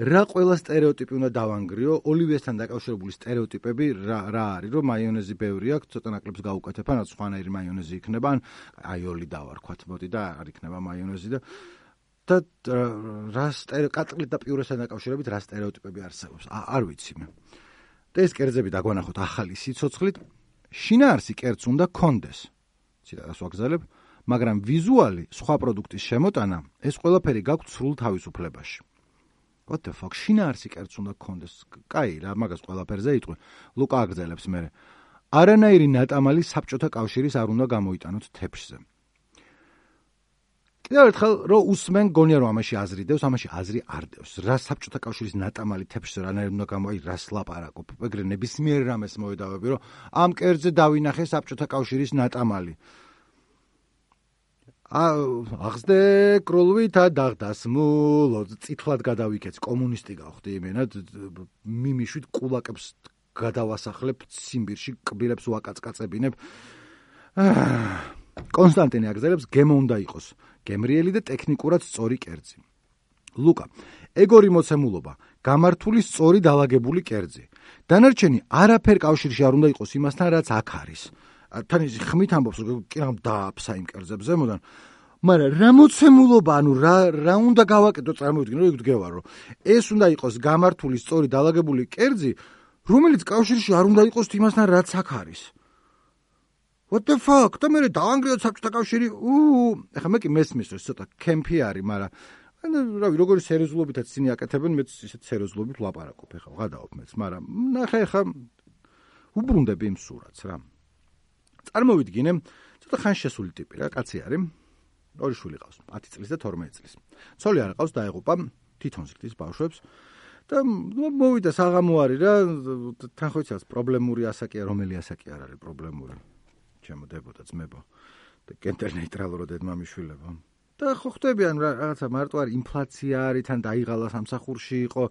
რა ყველა სტერეოტიპი უნდა დავანგრიო? ოლივიესთან დაკავშირებული სტერეოტიპები რა რა არის, რომ მაიონეზი ბევრი აქვს, ცოტა ნაკლებს გაუკეთებ, ან სხვანაირი მაიონეზი იქნება, ან აიოლი დავარქვათ, მოდი და არ იქნება მაიონეზი და და რა კატლეტ და პიურესთან დაკავშირებით რა სტერეოტიპები არსებობს? არ ვიცი მე. და ეს კერძები დაგვანახოთ ახალი სიცოცხლით. შინაარსი კერძს უნდა კონდეს. ციტატას ვაგზავნებ, მაგრამ ვიზუალი სხვა პროდუქტის შემოტანა, ეს ყველაფერი გაქვთ სრულ თავისუფლებაში. What the fuck? შინაარსი კერძს უნდა კონდეს. კაი, რა მაგას ყველაფერზე იტყვი. ლუკა აგზელებს მე. არანაირი ნატამალი საბჭოთა კავშირის არ უნდა გამოიტანოთ თეფშზე. კიდევ ერთხელ რო უსმენ გონია რომ ამაში აზრი დევს, ამაში აზრი არ დევს. რა საბჭოთა კავშირის ნატამალი თეფშზე რანაირად უნდა გამოი, რას ლაპარაკობ? ეგრე ნებისმიერ რამეს მოედავები, რომ ამ კერძზე დავინახე საბჭოთა კავშირის ნატამალი. აღსდე კრულვითა დაღდასმულო, წითლად გადავიქეც, კომუნისტი გავხდი იმენად, მიმიშვით კულაკებს გადავასახლებ ციმბირში, კბილებს ვაკაცკაცებინებ. კონსტანტინე აგზელებს, გემო უნდა იყოს გემრიელი და ტექნიკურად სწორი კერძი. ლუკა, ეგორი მოცემულობა, გამართული სწორი დალაგებული კერძი. დანარჩენი არაფერ კავშირში არ უნდა იყოს იმასთან, რაც აქ არის. თან ის ხმით ამბობს, რომ კი რამ დააფსა იმ კერძებზე, მოდან. მაგრამ რა მოცემულობა, ანუ რა რა უნდა გავაკეთო, წარმოვიდგინე, რომ იქ დგევა, რომ ეს უნდა იყოს გამართული სწორი დალაგებული კერძი, რომელიც კავშირში არ უნდა იყოს იმასთან, რაც აქ არის. What the fuck? და მე დაანგრიოთ საბჭოთა კავშირი. უ, ეხლა მე კი მესმის, რომ ცოტა კემპი არის, მაგრამ რავი, როგორი სერიოზულობითაც ისინი აკეთებენ, მეც ისეთ სერიოზულობით ვლაპარაკობ, ეხლა ვღადაობ მეც, მაგრამ ნახე ეხლა უბრუნდები იმ სურათს რა. წარმოვიდგინე, ცოტა ხანშესული ტიპი რა, კაცი არის. ორი შვილი ყავს, ათი წლის და თორმეტი წლის. ცოლი არ ყავს, დაეღუპა, თვითონ ზრდის ბავშვებს. და მოვიდა საღამო არის რა, თან ხო იცავს, პრობლემური ასაკია, რომელი ასაკი არ არის პრობლემური. ჩემოდებოდა ძმებო და კენტერ ნეიტრალურად დედმამიშვილებო. და ხო ხდებიან რაღაცა მარტო არის ინფლაცია არის, თან დაიღალა სამსახურში იყო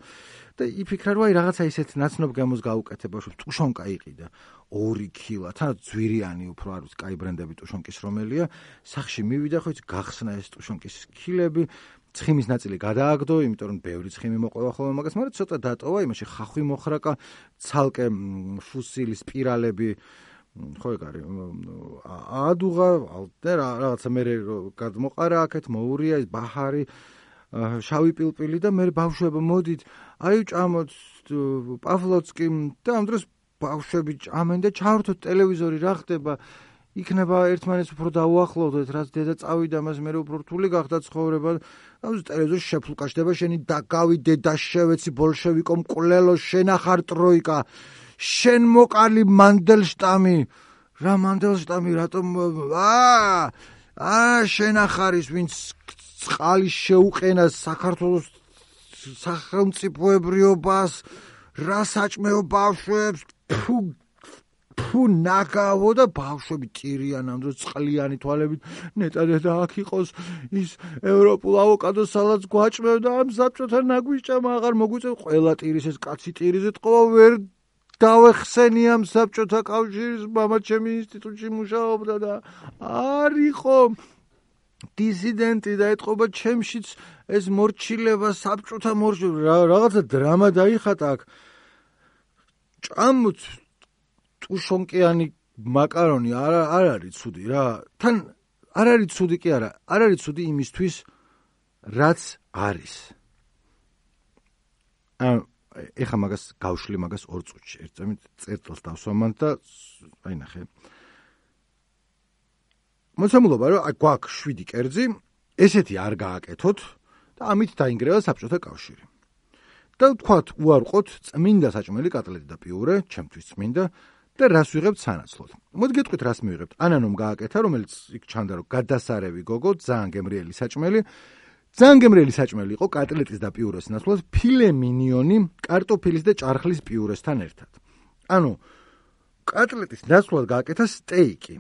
და იფიქრა რომ აი რაღაცა ისეთ ნაცნობ გემოს გაუკეთება, რომ ტუშონკა იყიდა ორი კილა, თან ძვირიანი უფრო არ ვიცი, კაი ბრენდები ტუშონკის რომელია, სახში მივიდა ხო იცი გახსნა ეს ტუშონკის კილები, ცხიმის ნაწილი გადააგდო, იმიტომ რომ ბევრი ცხიმი მოყვება ხოლმე მაგას, მაგრამ ცოტა დატოვა, იმაში ხახვი მოხრაკა, ცალკე ფუსილი სპირალები ხო ეგ არის. აადუღა ალტერ რაღაცა მე გადმოყარა აქეთ მოურია ის ბაჰარი შავი პილპილი და მე ბავშვები მოდით აი ჭამოთ პავლოცკი და ამ დროს ბავშვები ჭამენ და ჩავრთოთ ტელევიზორი რა ხდება იქნება ერთმანეთს უფრო დაუახლოვდეთ რაც დედა წავიდა მას მე უფრო რთული გახდა ცხოვრება და ტელევიზორში შეფლუკაშდება შენი დაგავიდე და შევეცი ბოლშევიკომ კვლელო შენახარ ტროიკა შენ მოკალი მანდელშტამი რა მანდელშტამი რატომ აა აა შენახარის ვინც წყალი შეუყენა საქართველოს სახელმწიფოებრიობას რა საჭმეო ბავშვებს ფუ ფუ ნაგავო და ბავშვები ტირიან ამ დროს წყლიანი თვალებით ნეტა და აქ იყოს ის ევროპულ ავოკადოს სალატს გვაჭმევ და ამ საბჭოთან ნაგვიჭამა აღარ მოგვიწევ ყველა ტირის ეს კაცი ტირიზე ტყვა ვერ დავეხსენი ამ საბჭოთა კავშირის მამა ჩემი ინსტიტუტში მუშაობდა და არ იყო დისიდენტი და ეთყობა ჩემშიც ეს მორჩილება საბჭოთა მორჩილება რაღაცა დრამა დაიხატა აქ ჭამთ ტუშონკიანი მაკარონი არ არ არის ცუდი რა თან არ არის ცუდი კი არა არ არის ცუდი იმისთვის რაც არის ა ეხა მაგას გავშლი მაგას ორ წუთში ერთ წამით წერტილს დავსვამან და აი ნახე მოცემულობა რომ აი გვაქვს შვიდი კერძი ესეთი არ გააკეთოთ და ამით დაინგრევა საბჭოთა კავშირი და ვთქვათ უარყოთ წმინდა საჭმელი კატლეტი და პიურე ჩემთვის წმინდა და რას ვიღებთ სანაცვლოდ მოდი გეტყვით რას მივიღებთ ანანომ გააკეთა რომელიც იქ ჩანდა რომ გადასარევი გოგო ძალიან გემრიელი საჭმელი ძალიან გემრიელი საჭმელი იყო კატლეტის და პიურეს ნაცვლად ფილე მინიონი კარტოფილის და ჭარხლის პიურესთან ერთად ანუ კატლეტის ნაცვლად გააკეთა სტეიკი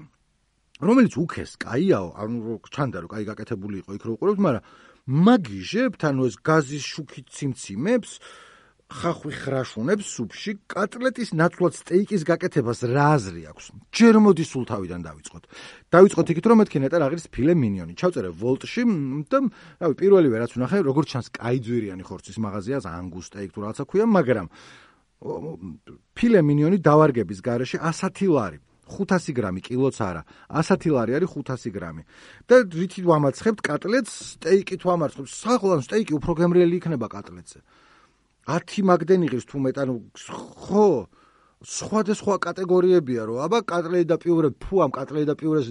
რომელიც უქეს კაიაო ანუ ჩანდა რომ კაი გაკეთებული იყო იქ რო უყურებთ მაგრამ მაგიჟებთ ანუ ეს გაზის შუქით ციმციმებს ხახვი ხრაშუნებს სუპში კატლეტის ნაცვლად სტეიკის გაკეთებას რა აზრი აქვს ჯერ მოდი სულ თავიდან დავიწყოთ დავიწყოთ იქით რომ მეთქი ნეტარ აღრის ფილე მინიონი ჩავწერე ვოლტში და რავი პირველივე რაც ვნახე როგორც ჩანს კაი ძვირიანი ხორცის მაღაზიას ანგუს სტეიკ თუ რაღაცა ქვია მაგრამ ფილე მინიონი დავარგების გარეშე ასეთი ლარი ხუთასი გრამი კილოც არა ასეთი ლარი არის ხუთასი გრამი და რითი ვამარცხებთ კატლეტს სტეიკით ვამარცხებთ სახლან სტეიკი უფრო გემრიელი იქნება კატლეტზე ათი მაგდენ იღებს თუ მეტ ანუ ხო სხვადასხვა კატეგორიებია რომ აბა კატლეტი და პიურე ფუ ამ კატლეტი და პიურეს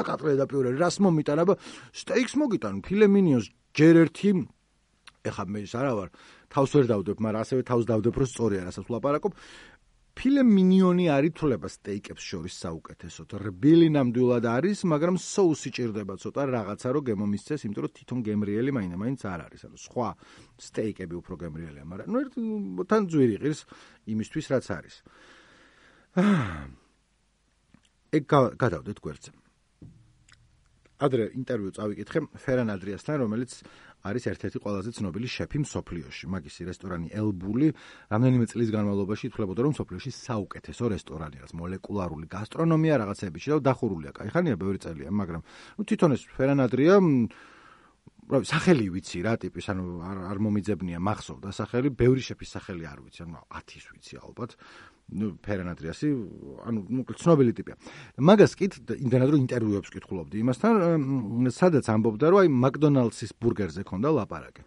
კატლეტი და პიურე რას მომიტან აბა სტეიკს მოგიტან ფილე მინიონს ჯერ ერთი ეხა მე ის არა ვარ თავს ვერ დავდებ მაგრამ ასევე თავს დავდებ რომ სწორია რასაც ვლაპარაკობ ფილე მინიონი არ ითვლება სტეიკებს შორის საუკეთესოდ. რბილი ნამდვილად არის, მაგრამ соуსი ჭირდება ცოტა რაღაცა რომ გემომისცეს, იმიტომ რომ თვითონ გემრიელი მაინდა-მაინც არ არის. ანუ სხვა სტეიკები უფრო გემრიელია, მაგრამ ნუ თან ძვირი ღირს იმისთვის რაც არის. ეგ გადავდეთ გვერდზე. ადრე ინტერვიუ წავიკითხე ფერან ადრიასთან, რომელიც არის ერთ-ერთი ყველაზე ცნობილი შეფი მსოფლიოში. მაგისი რესტორანი ელბული რამდენიმე წლის განმავლობაში ითვლებოდა, რომ მსოფლიოში საუკეთესო რესტორანია, მოლეკულარული გასტრონომია რაღაცეებიში და დახურულია. კაიხანია ბევრი წელია, მაგრამ ნუ თვითონ ეს ფერან ადრია რა სახელი ვიცი რა ტიპის, ანუ არ არ მომიძებნია მახსოვდა სახელი, ბევრი შეფის სახელი არ ვიცი, ანუ ათის ვიცი ალბათ. ნუ ფერან ადრიასი, ანუ ნუ ცნობილი ტიპია. მაგას კი იმდენად რომ ინტერვიუებს კითხულობდი იმასთან, სადაც ამბობდა რომ აი მაკდონალდსის ბურგერზე ქონდა ლაპარაკი.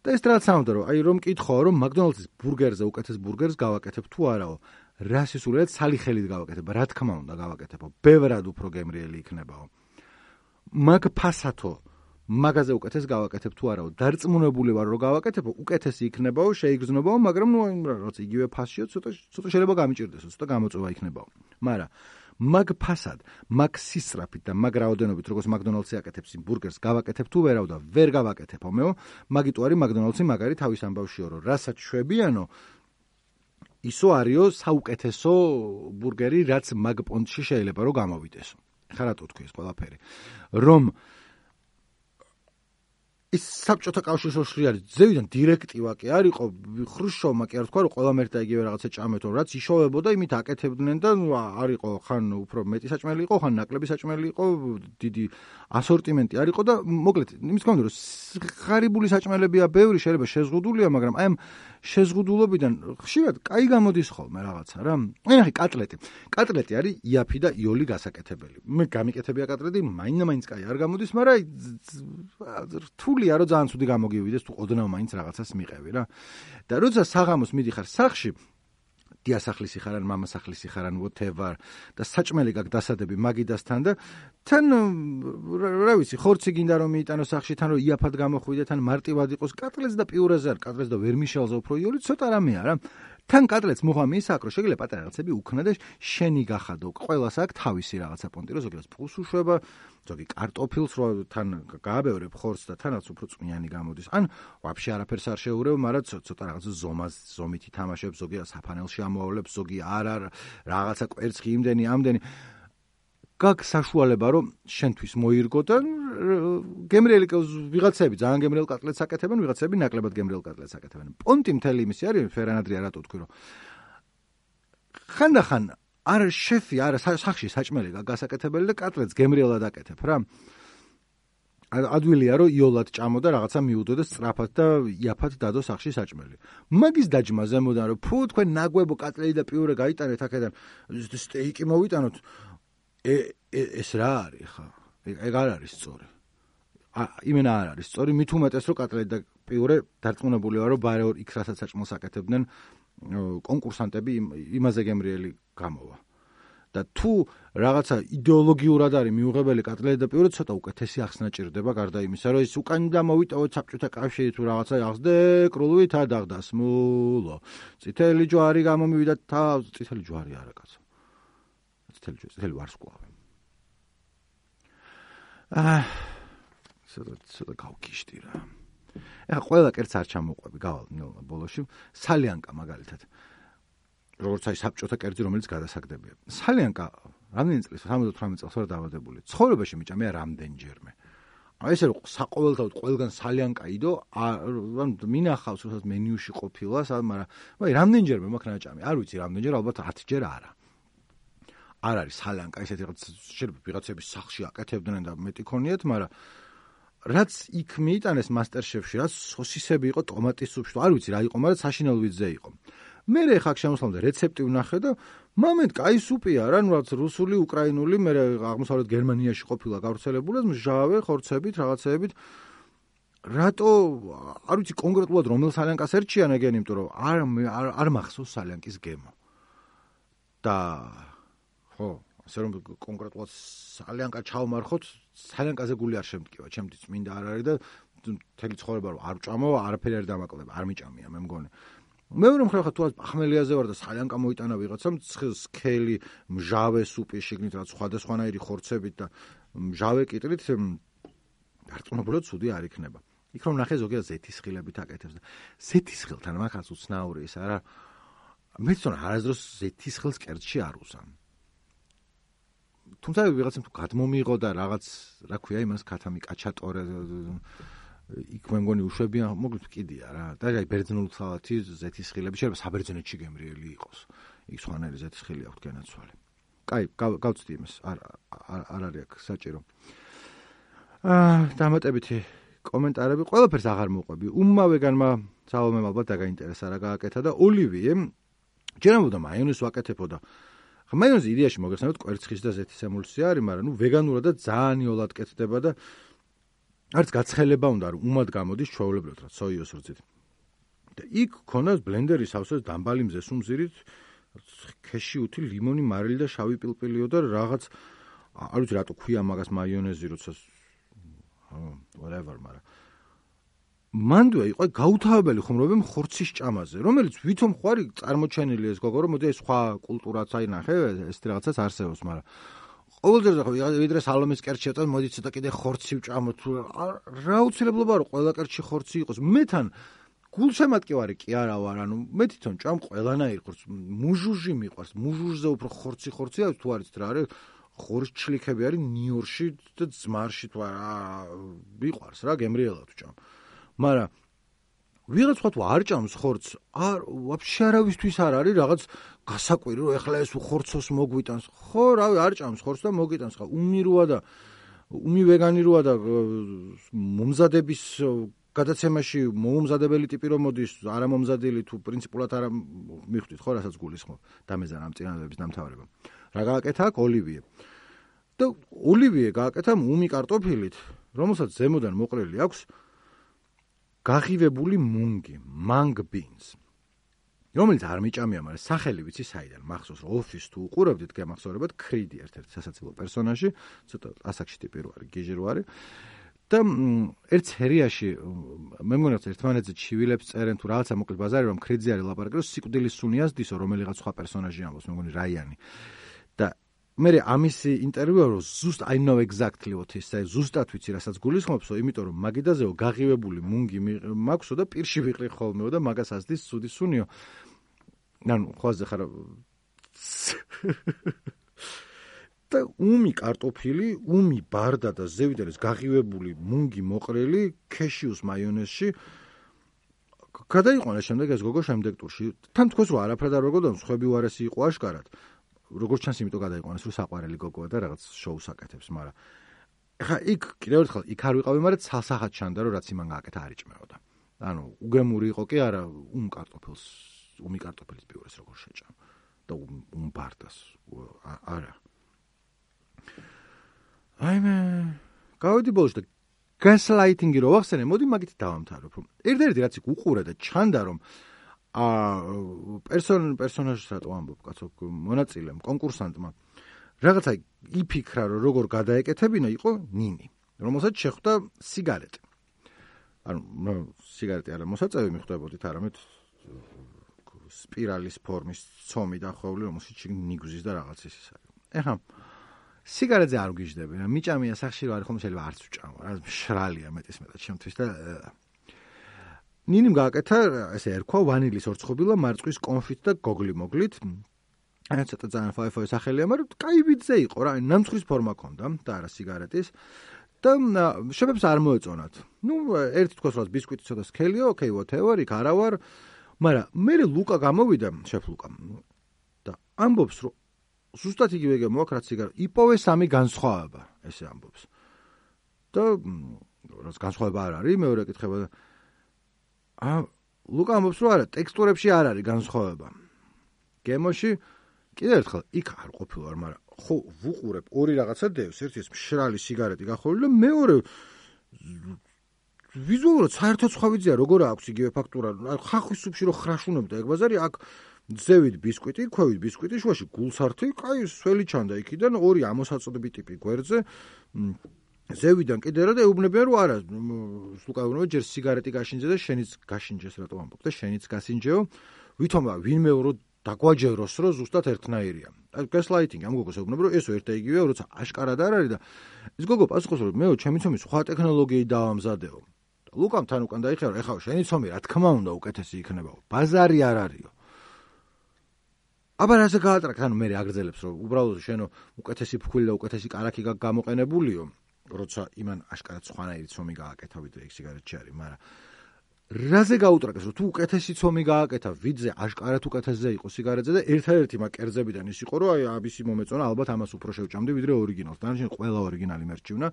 და ეს რაც ამბობდა რომ აი რომ კითხო რომ მაკდონალდსის ბურგერზე უკეთეს ბურგერს გავაკეთებ თუ არაო, რა სისულელად სალი ხელით გავაკეთებ, რა თქმა უნდა გავაკეთებო, ბევრად უფრო გემრიელი იქნებაო. მაგ ფასათო მაგაზე უკეთეს გავაკეთებ თუ არაო, დარწმუნებული ვარ რომ გავაკეთებო, უკეთესი იქნებაო, შეიგრძნობაო, მაგრამ ნუ რაღაც იგივე ფასშიო, ცოტა ცოტა შეიძლება გამიჭirdესო, ცოტა გამოწვევა იქნებაო. მაგრამ მაგ ფასად, მაგ სისწრაფით და მაგ რაოდენობით, როგორც მაკდონალდსი აკეთებს იმ ბურგერს, გავაკეთებ თუ ვერავ და ვერ გავაკეთებო მეო, მაგიტო არის მაკდონალდსი მაგარი თავის ამბავშიო, რომ რასაც შვებიანო, ისო არისო საუკეთესო ბურგერი, რაც მაგ პონტში შეიძლება რომ გამოვიდესო. ხა რატო თქვი ეს ყველაფერი? რომ ის საბჭოთა კავშირის ოშლი არის ზევიდან დირექტივა კი არ იყო ხრუშოვმა კი არ თქვა რომ ყველა მერტა იგივე რაღაცა ჭამეთო რაც იშოვებოდა იმით აკეთებდნენ და არ იყო ხან უფრო მეტი საჭმელი იყო ხან ნაკლები საჭმელი იყო დიდი ასორტიმენტი არ იყო და მოკლედ იმის გამო რომ ღარიბული საჭმელებია ბევრი შეიძლება შეზღუდულია მაგრამ აი ამ შეზღუდულობიდან ხშირად კაი გამოდის ხოლმე რაღაცა რა აი ნახე კატლეტი კატლეტი არის იაფი და იოლი გასაკეთებელი მე გამიკეთებია კატლეტი მაინდა-მაინც კაი არ გამოდის მაგრამ რთულია რომ ძალიან ცუდი გამოგივიდეს თუ ოდნავ მაინც რაღაცას მიყევი რა და როცა საღამოს მიდიხარ სახლში დიასახლისი ხარ ან მამასახლისი ხარ ან whatever და საჭმელი გაქვს დასადები მაგიდასთან და თან რა ვიცი ხორცი გინდა რომ მიიტანო სახლში თან რომ იაფად გამოხვიდე თან მარტივად იყოს კატლეტს და პიურეზე არ კატლეტს და ვერმიშელზე უფრო იოლი ცოტა რამეა რა თან კატლეტს მოხამი ისაკრო შეგიძლია პატარა რაღაცები უქნა და შენი გახადო ყველას აქვს თავისი რაღაცა პონტი რომ ზოგადად ფულს უშვება ზოგი კარტოფილს რო თან გააბევრებ ხორცს და თანაც უფრო წვნიანი გამოდის ან ვაფშე არაფერს არ შეურევ მაგრამ ცოტა რაღაცა ზომას ზომით ითამაშებს ზოგი საფანელში ამოავლებს ზოგი არ არ რაღაცა კვერცხი იმდენი ამდენი გაქვს საშუალება რომ შენთვის მოირგო და გემრიელი ვიღაცები ძალიან გემრიელ კატლეტს აკეთებენ ვიღაცები ნაკლებად გემრიელ კატლეტს აკეთებენ პონტი მთელი იმისი არის ფერანადრია რატო თქვი რომ ხანდახან არ შეფი არა სახში საჭმელი გასაკეთებელი და კატლეტს გემრიელად აკეთებ რა ადვილია რომ იოლად ჭამო და რაღაცა მიუდო და სწრაფად და იაფად დადო სახში საჭმელი მაგის დაჯმა ზემოდან რომ ფუ თქვენ ნაგვებო კატლეტი და პიურე გაიტანეთ აქედან სტეიკი მოვიტანოთ ეს რა არის ხა ეგ არ არის სწორი იმენა არ არის სწორი მით უმეტეს რომ კატლეტი და პიურე დარწმუნებული ვარ რომ ბარეორ იქ რასაც საჭმელს აკეთებდნენ კონკურსანტები იმაზე გემრიელი გამოვა და თუ რაღაცა იდეოლოგიურად არის მიუღებელი კატლეტი და პიურე ცოტა უკეთესი ახსნა ჭირდება გარდა იმისა რომ ის უკანდა მოვიტოვოთ საბჭოთა კავშირი თუ რაღაცა ახსდე კრულვით ადაღდასმულო წითელი ჯვარი გამომივიდა თავს წითელი ჯვარი არა კაცო წითელი ჯვარი წითელი ვარსკვლავი აა ცოტა ცოტა გავკიშტი რა ეხა ყველა კერც არ ჩამოყვები გავალ ნელა ბოლოში სალიანკა მაგალითად როგორც აი საბჭოთა კერძი რომელიც გადასაგდებია სალიანკა რამდენი წლის სამოცდაოთხმეტ წელს ვარ დაბადებული ცხოვრებაში მიჭა მე რამდენჯერმე აი ესე რომ საყოველთაოდ ყველგან სალიანკა იდო ან მინახავს უბრალოდ მენიუში ყოფილა მაგრამ აი რამდენჯერმე მაქვს ნაჭამი არ ვიცი რამდენჯერ ალბათ ათჯერ არა არ არის სალიანკა ესეთი რაღაც შეიძლება ვიღაცების სახლში აკეთებდნენ და მეტი ქონიათ მაგრამ რაც იქ მიიტანეს მასტერშეფში რაც სოსისები იყო ტომატის სუპში არ ვიცი რა იყო მაგრამ საშინელ ვიზზე იყო მე ხა შემოსვლამდე რეცეპტი ვნახე და მომენტ კაი სუპია რა რაც რუსული უკრაინული მე აღმოსავლეთ გერმანიაში ყოფილა გავრცელებული მჟავე ხორცებით რაღაცეებით რატო არ ვიცი კონკრეტულად რომელ სალიანკას ერჩიან ეგენ იმიტომ რომ არ არ მახსოვს სალიანკის გემო და ხო ასე რომ კონკრეტულად სალიანკა ჩავმარხოთ სალიანკაზე გული არ შემტკივა ჩემთვის მინდა არ არის და თელი ცხოვრება რომ არ ვჭამო არაფერი არ დამაკლებ არ მიჭამია მე მგონი მეორე მხრივ ხა თუ ახმელიაზე ვარ და სალიანკა მოიტანა ვიღაცამ სქელი მჟავე სუპი შიგნით რაც სხვადასხვანაირი ხორცებით და მჟავე კიტრით დარწმუნებულად ცუდი არ იქნება იქ რომ ნახე ზოგადად ზეთისხილებით აკეთებს და ზეთისხილთან მაგაც უცნაური ის არა მეც თვითონ არასდროს ზეთისხილს კერძში არ უზამ თუმცა ვიღაცამ თუ გადმომიღო და რაღაც რა ქვია იმას ქათამი კაჩატორე იქ მე მგონი უშვებიან მოკლედ კიდია რა და აი ბერძნული სალათი ზეთისხილები შეიძლება საბერძნეთში გემრიელი იყოს იქ სხვანაირი ზეთისხილი აქვს განაცვალე კაი გავწდი იმას არ არ არის აქ საჭირო აა დამატებითი კომენტარები ყველაფერს აღარ მოყვები უმავეგანმა საომემ ალბათ დაგაინტერესა რა გააკეთა და ოლივიე ჯერამოდა მაიონეზს ვაკეთებოდა მაიონეზი იდეაში მოგეხსენებათ კვერცხის და ზეთის ემულსია არის მაგრამ ნუ ვეგანურადაც ძალიან იოლად კეთდება და არც გაცხელება უნდა რომ უმად გამოდის ჩვეულებრივად რა სოიოს რძით და იქ ქონას ბლენდერის ავსოს დამბალი მზეს უმზირით ქეშიუთი ლიმონი მარილი და შავი პილპილიო და რაღაც არ ვიცი რატო ქვია მაგას მაიონეზი როცა whatever მაგრამ მანდვე იყო გაუთავებელი ხუმრობები ხორცის ჭამაზე რომელიც ვითომ ხوارი წარმოჩენილი ეს გოგო რომ მოდი ეს სხვა კულტურაც აი ნახე ეს რაღაცას არსებობს მაგრამ ყოველდღე ხო ვიდრე სალომის კერჩი ეტყვა მოდი ცოტა კიდე ხორცი ვჭამოთ რა უცილებლობა რომ ყველა კერჩი ხორცი იყოს მე თან გულშემატკივარი კი არა ვარ ანუ მე თვითონ ჭამ ყველანაირ ხორცს მუჟუჟი მიყვარს მუჟუჟზე უფრო ხორცი ხორცია თუ არის რა არის ხორჩლიქები არის ნიუ-იორკში და ძმარში თუ არა მიყვარს რა გემრიელად ვჭამ. მაგრამ ვიღაც ხოთ არ ჭამს ხორცს, არ ვაფშე არავისთვის არ არის რაღაც გასაკვირი რომ ეხლა ეს ხორცოს მოგვიტანს. ხო, რავი, არ ჭამს ხორცს და მოგიტანს ხა. უმი როა და უმი ვეგანი როა და მომზადების გადაცემაში მოუმზადებელი ტიპი რომ მოდის, არა მომზადილი თუ პრინციპულად არა მიხვდით ხო, რასაც გულისხმობ დამეზან ამ წინადადების დამთავრება. რა გააკეთა აქ ოლივიე. და ოლივიე გააკეთა უმი კარტოფილით, რომელსაც ზემოდან მოყრილი აქვს გაღივებული მუნგი, mung beans. რომელიც არ მიჭამია, მაგრამ სახელი ვიცი საიდან მახსოვს რომ ოფის თუ უყურებდით გემახსოვრებათ კრიდი ერთ-ერთ სასაცილო პერსონაჟი, ცოტა ასაკში ტიპი რო არის, გიჟი რო არის. და ერთ სერიაში მე მგონი რომ ერთმანეთზე ჩივილებს წერენ თუ რაღაცა მოკლედ ბაზარი რომ კრიძე არის ლაპარაკი რომ სიკვდილის სუნიას დისო რომელიღაც სხვა პერსონაჟი ამბობს, მე მგონი რაიანი. და მე ამის ინტერვიუა რომ ზუსტ I know exactly what he said, ზუსტად ვიცი რასაც გულისხმობსო, იმიტომ რომ მაგიდაზეო გაღივებული მუნგი მაქვსო და პირში ვიყრი ხოლმეო და მაგას ასდის სუდი სუნიო. ანუ ხوازე ხარ და უმი კარტოფილი, უმი ბარდა და ზევიდან ეს გაღივებული მუნგი მოყრილი ქეშიუს მაიონეზში გადაიყვანა შემდეგ ეს გოგო შემდეგ ტურში. თან თქოს რომ არაფრად არ ვეგოდან სხვები უარესი იყო აშკარად. როგორც ჩანს, იმიტომ გადაიყვანეს რომ საყვარელი გოგოა და რაღაც შოუს აკეთებს, მაგრამ ეხა იქ კიდევ ერთხელ იქ არ ვიყავი, მაგრამ ცალსახად ჩანდა რომ რაც იმან გააკეთა არ იჭმეოდა. ანუ უგემური იყო კი არა უმ კარტოფილს, უმი კარტოფილის პიურეს როგორ შეჭამ და უმ ბარდას არა. აიმე გავედი ბოლოს და gaslighting-ი რო ვახსენე, მოდი მაგით დავამთავრებ, რომ ერთ-ერთი რაც იქ უყურე და ჩანდა რომ ა პერსონ პერსონაჟს რატო ამბობ კაცო მონაწილემ კონკურსანტმა რაღაცა იფიქრა რომ როგორ გადაეკეთებინა იყო ნინი რომელსაც შეხვდა სიგარეტი ანუ სიგარეტი არა მოსაწევი მიხვდებოდით არამედ სპირალის ფორმის ცომი დახვეული რომელსაც ნიგზის და რაღაც ის არის ეხა სიგარეტზე არ ვგიჟდები რა მიჭამია სახში რო არის ხომ შეიძლება არც ვჭამო რა მშრალია მეტის მეტად ჩემთვის და ნინიმ გააკეთა ესე ერქვა ვანილის ორცხობილა მარწყვის კონფიტ და გოგლი მოგლით. აი ცოტა ძალიან ფაიფაი სახელია, მაგრამ კაი ვიძე იყო რა, ნამცხრის ფორმა ჰქონდა და არა სიგარეტის. და შეფებს არ მოეწონათ. ნუ ერთი თქოს რომ ბისკვიტი ცოტა სქელიო, ოკეი, whatever, იქ არა ვარ, მაგრამ მე ლუკა გამოვიდა, შეფ ლუკა. და ამბობს რომ ზუსტად იგივე გემოაქვს რაც სიგარეტი. იპოვე სამი განსხვავება, ესე ამბობს. და რაც განსხვავება არ არის, მეორე კითხება და ა ლუკა ამბობს რომ არა ტექსტურებში არ არის განსხვავება. გემოში კიდევ ერთხელ იქ არ ყოფილვარ, მაგრამ ხო ვუყურებ ორი რაღაცა დევს, ერთი ეს მშრალი სიგარეტი გახურული და მეორე ვიზუალურად საერთოდ სხვა ვიძია როგორ აქვს იგივე ფაქტურა. ხახვის სუფში რო ხრაშუნობდა ეგ ბაზარი, აქ ძევით ბისკვიტი, ქვევით ბისკვიტი, შუაში გულსართი, კაი სველი ჩანდა იქიდან ორი ამოსაწოდები ტიპი გვერდზე. ზევიდან კიდე რა და ეუბნებიან რომ არა ლუკა ეუბნება ჯერ სიგარეტი გაშინჯე და შენიც გაშინჯეს რატო ამბობ და შენიც გასინჯეო ვითომა ვინმე რო დაგვაჯეროს რომ ზუსტად ერთნაირია. აი gaslighting ამ გოგოს ეუბნება რომ ესო ერთ და იგივეა როცა აშკარად არ არის და ეს გოგო პასუხობს რომ მეო ჩემი ცომი სხვა ტექნოლოგიით დავამზადეო. ლუკამ თან უკან დაიხარა ეხლა შენი ცომი რა თქმა უნდა უკეთესი იქნებაო. ბაზარი არ არისო. აბა რაზე გაატრაკ ანუ მე აგრძელებს რომ უბრალოდ შენო უკეთესი ფქვილი და უკეთესი კარაქი გამოყენებულიო. როცა იმან აშკარად სხვანაირი ცომი გააკეთა ვიდრე იქ სიგარეტში არის, მაგრამ რაზე გაუტრაკეს რომ თუ უკეთესი ცომი გააკეთა ვიდრე აშკარად უკეთესზე იყო სიგარეტზე და ერთადერთი მაგ კერძებიდან ის იყო რომ აი აბისი მომეწონა ალბათ ამას უფრო შევჭამდი ვიდრე ორიგინალს. დანარჩენი ყველა ორიგინალი მერჩივნა.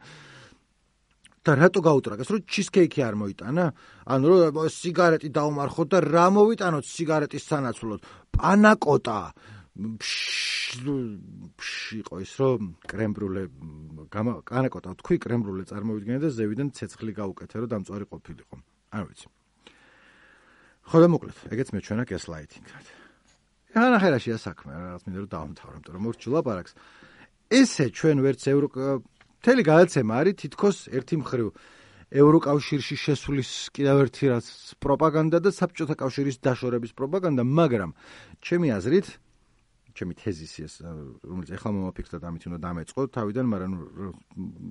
და რატო გაუტრაკეს რომ ჩიზკეიკი არ მოიტანა? ანუ რომ სიგარეტი დაუმარხოთ და რა მოვიტანოთ სიგარეტის სანაცვლოდ? პანაკოტა იყო ის რომ კრემბრულე კანაკოტა თქვი კრემბრულე წარმოვიდგინე და ზევიდან ცეცხლი გაუკეთე რომ დამწვარი ყოფილიყო. არ ვიცი. ხო და მოკლედ, ეგეც მეჩვენა gaslighting-ად. ეხლა ნახერაშია საქმე, რაღაც მინდა რომ დავამთავრე, იმიტომ რომ მორჩი ლაპარაკს. ესე ჩვენ ვერც ევრო მთელი გადაცემა არის თითქოს ერთი მხრივ ევროკავშირში შესulis კიდევ ერთი რაც პროპაგანდა და საბჭოთა კავშირის დაშორების პროპაგანდა, მაგრამ ჩემი აზრით ჩემი თეზისი ეს რომელიც ეხლა მომაფიქრდა და ამით უნდა დამეწყო თავიდან, მაგრამ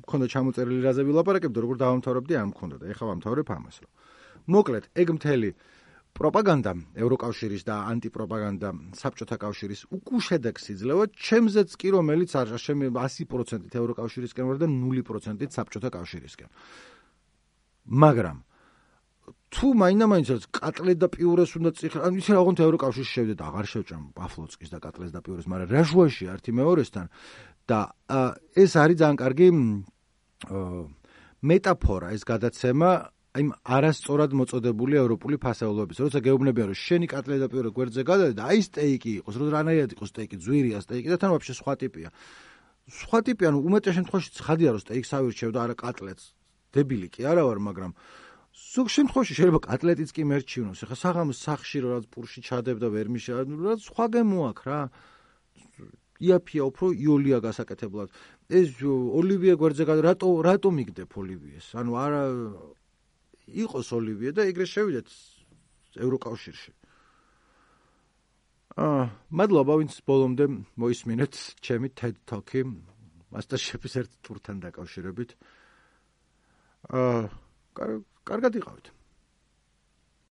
მქონდა ჩამოწერილი რაზე ვილაპარაკებდი, როგორ დავამთავრებდი, არ მქონდა და ეხლა ვამთავრებ ამას. რომ მოკლედ, ეგ მთელი პროპაგანდა ევროკავშირის და ანტიპროპაგანდა საბჭოთა კავშირის უკუშედეგს იძლევა ჩემზეც კი რომელიც არ შემე ასი პროცენტით ევროკავშირისკენ ვარ და ნული პროცენტით საბჭოთა კავშირისკენ მაგრამ თუ მაინდა-მაინც კატლეთ და პიურეს უნდა წიხლ ან ისე რაღაცა ევროკავშირში შევდეთ აღარ შევჭამ პაფლოცკის და კატლეს და პიურეს მაგრამ რაჟუაში ერთი მეორესთან და ეს არის ძალიან კარგი მეტაფორა ეს გადაცემა აი არასწორად მოწოდებული ევროპული ფასეულობის როცა გეუბნებიან რომ შენი კატლე და პიურე გვერდზე გადადი და აი სტეიკი იყოს რომ რანაირად იყოს სტეიკი ძვირია სტეიკი და თან ვაფშე სხვა ტიპია სხვა ტიპია ნუ უმეტეს შემთხვევაში ცხადია რომ სტეიკს ავირჩევ და არა კატლეტს დებილი კი არა ვარ მაგრამ ზოგ შემთხვევაში შეიძლება კატლეტიც კი მერჩივნოს ეხლა საღამოს სახში რომ რაც პურში ჩადებ და ვერ მიშა რაც სხვა გემო აქვს რა იაფია უფრო იოლია გასაკეთებლად ეს ოლივიე გვერდზე გადა რატო რატო მიგდებ ოლივიეს ანუ არა იყოს ოლივიე და ეგრე შევიდეთ ევროკავშირში აა მადლობა ვინც ბოლომდე მოისმინეთ ჩემი TED Talk-ი MasterChef-ის ერთ ტურთან დაკავშირებით აა კარგად იყავით